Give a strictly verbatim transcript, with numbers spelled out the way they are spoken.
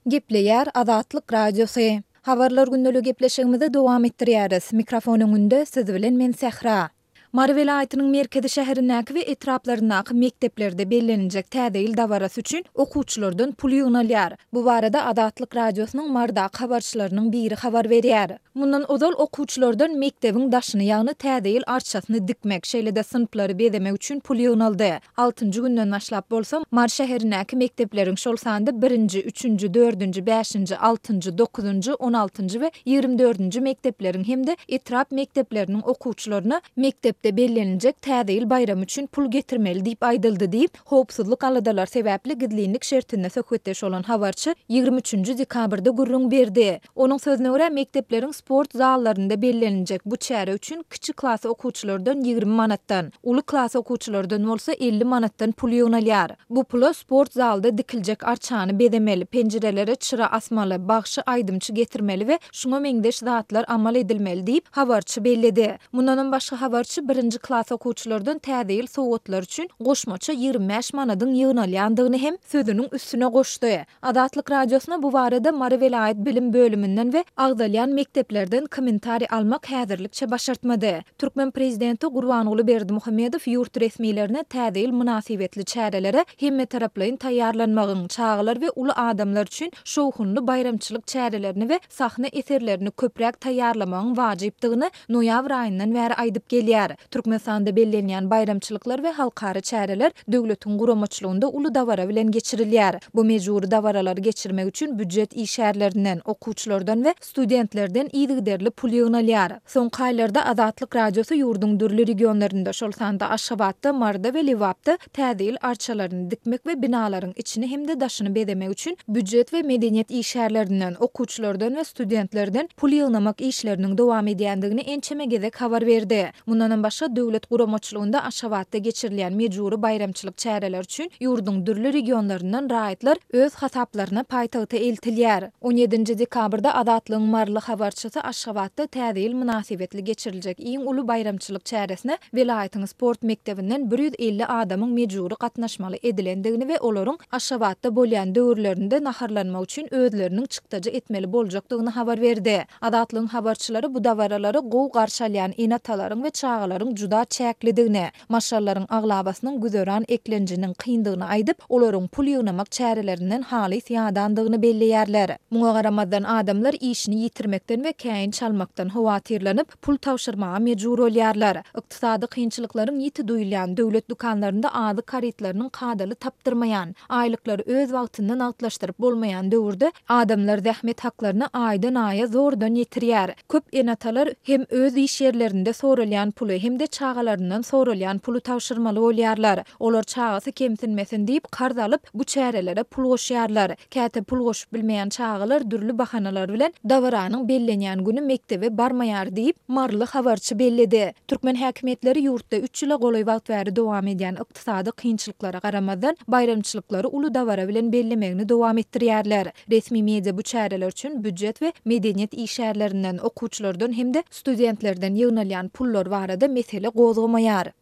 Gepleýär Azatlyk Radiosy. Habarlar gündeligi gepleşigimizi dowam etdirýäris. Mikrofon öňünde siz bilen men Sähra. Mary welaýatynyň merkezi şäherindäki we etraplaryndaky mekdeplerde belleniljek Täze ýyl dabarasy üçin okuwçylardan pul ýygnalýar. Bu barada Azatlyk Radiosynyň Marydaky habarçylarynyň biri habar berýär. Mundan ozal okuwçylardan mekdebiň daşyny, ýagny Täze ýyl arçasyny dikmek, şeýle-de synplary bezemek üçin pul ýygnaldy. Altynjy günden başlap bolsa, Mary şäherindäki mekdepleriň, şol sanda birinji, üçünji, dördünji, bäşinji, altynjy, dokuzynjy, on altynjy we ýigrimi dördünji mekdepleriň hem-de etrap mekdepleriniň okuwçylaryna mekdepde belleniljek Täze ýyl baýramy üçin pul getirmeli diýip aýdyldy diýip, howpsuzlyk aladalary sebäpli gizlinlik şertinde söhbetdeş bolan habarçy ýigrimi üçünji dekabrda gürrüň berdi. Onuň sözüne görä, mekdepleriň sport zallarynda belleniljek bu çäre üçin kiçi klas okuwçylardan ýigrimi manatdan, uly klas okuwçylardan bolsa elli manatdan pul ýygnalýar. Bu pula sport zalda dikiljek arçany bezemeli, penjirelere çyra asmaly, bagşy aýdymçy getirmeli we şuňa meňzeş zatlar amal edilmeli diýip, habarçy belledi. Mundanam başga habarçy birinji klas okuwçylardan Täze ýyl sowgatlary üçin goşmaça ýigrimi bäş manadyň ýygnalýandygyny hem sözüniň üstüne goşdy. Azatlyk Radiosyna bu barada Mary welaýat bilim bölüminden we agzalýan mekdeplerden kommentariý almak häzirlikçe başartmady. Türkmen prezidenti Gurbanguly Berdimuhamedow ýurt resmilerine Täze ýyl mynasybetli çärelere hemmetaraplaýyn taýýarlanmagyň, çagalar we uly adamlar üçin şowhunly baýramçylyk çärelerini we sahna eserlerini köpräk taýýarlamagyň wajypdygyny noýabr aýyndan bäri aýdyp gelýär. Türkmenistanda bellenýän baýramçylyklar we halkara çäreler döwletiň guramaçylygynda uly dabara bilen geçirilýär. Bu mejbury dabaralary geçirmek üçin býujet işgärlerinden, okuwçylardan we studentlerden yzygiderli pul ýygnalýar. Soňky aýlarda Azatlyk Radiosy ýurduň dürli regionlarynda, şol sanda Aşgabatda, Maryda we Lebapda Täze ýyl arçalaryny dikmek we binalaryň içini hem-de daşyny bezemek üçin býujet we medeniýet işgärlerinden, okuwçylardan we studentlerden pul ýygnamak işleriniň dowam edýändigini ençeme gezek habar berdi. Mundanam başga, döwlet guramaçylygynda Aşgabatda geçirilýän mejbury baýramçylyk çäreleri üçin ýurduň dürli regionlaryndan raýatlar öz hasaplaryna paýtagta eltilýär. On ýedinji dekabrda Azatlygyň maryly habarçysy Aşgabatda Täze ýyl mynasybetli geçiriljek iň uly baýramçylyk çäresine welaýatyň sport mekdebinden bir ýüz elli adamyň mejbury gatnaşmaly edilendigini we olaryň Aşgabatda bolýan döwürlerinde naharlanmak üçin özleriniň çykdajy etmeli boljakdygyny habar berdi. Azatlygyň habarçylary bu dabaralary gowy garşy alýan ene-atalaryň we çagalaryň juda çäklidigini, maşgalalaryň aglabasynyň güzeran eklenjiniň kyndygyny aýdyp, olaryň pul ýygnamak çärelerinden halys ýadandygyny belleýärler. Muňa garamazdan, adamlar işini ýitirmekden we käýinç almakdan howatyrlanyp, pul tabşyrmaga mejbur bolýarlar. Ykdysady kynçylyklaryň ýiti duýulýan, döwlet dükanlarynda azyk harytlarynyň kadaly tapdyrmaýan, aýlyklary öz wagtynda nagtlaşdyryp bolmaýan döwürde adamlar zähmet haklaryny aýdan-aýa zordan ýetirýär. Köp ene-atalar hem öz iş ýerlerinde soralýan puly, hem-de çagalaryndan soralýan puly tabşyrmaly bolýarlar. Olar çagasy kemsinmesin diýip, karz alyp, bu çärelere pul goşýarlar. Käte pul goşup bilmeýän çagalar dürli bahanalar bilen dabaranyň bellenýän güni mekdebe barmaýar diýip, maryly habarçy belledi. Türkmen häkimiýetleri ýurtda üç ýyla golaý wagt bäri dowam edýän ykdysady kynçylyklara garamazdan, baýramçylyklary uly dabara bilen bellemegini dowam etdirýärler. Resmi media bu çäreler üçin býujet we medeniýet işgärlerinden, okuwçylardan hem-de studentlerden ýygnalýan pullar barada mesele gozgamaýar.